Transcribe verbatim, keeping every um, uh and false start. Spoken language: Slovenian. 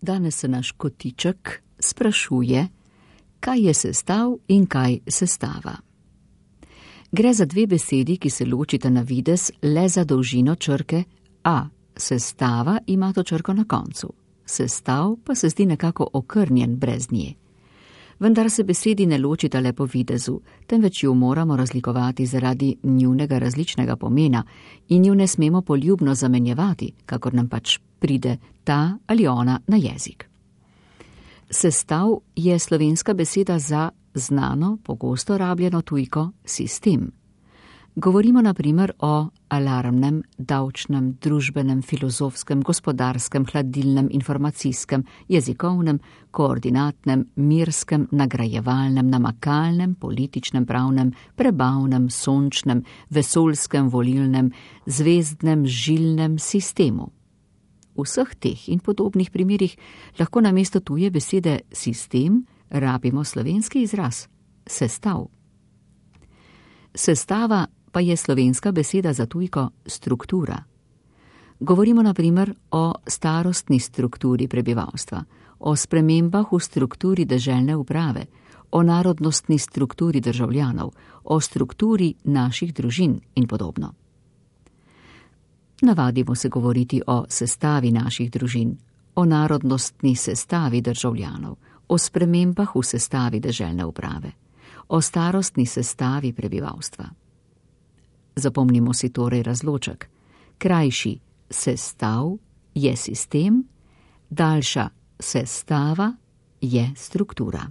Danes se naš kotiček sprašuje, kaj je sestav in kaj sestava. Gre za dve besedi, ki se ločita na videz le za dolžino črke A. Sestava ima to črko na koncu. Sestav pa se zdi nekako okrnjen brez nje. Vendar se besedi ne ločita le po videzu, temveč ju moramo razlikovati zaradi njunega različnega pomena in ju ne smemo poljubno zamenjevati, kakor nam pač pride ta ali ona na jezik. Sestav je slovenska beseda za znano, pogosto rabljeno tujko sistem. Govorimo na primer o alarmnem, davčnem, družbenem, filozofskem, gospodarskem, hladilnem, informacijskem, jezikovnem, koordinatnem, mirskem, nagrajevalnem, namakalnem, političnem, pravnem, prebavnem, sončnem, vesoljskem, volilnem, zvezdnem, žilnem sistemu. V vseh teh in podobnih primerih lahko namesto tuje besede sistem rabimo slovenski izraz sestav. Sestava pa je slovenska beseda za tujko struktura. Govorimo na primer o starostni strukturi prebivalstva, o spremembah v strukturi deželne uprave, o narodnostni strukturi državljanov, o strukturi naših družin in podobno. Navadimo se govoriti o sestavi naših družin, o narodnostni sestavi državljanov, o spremembah v sestavi deželne uprave, o starostni sestavi prebivalstva. Zapomnimo si torej razloček. Krajši sestav je sistem, daljša sestava je struktura.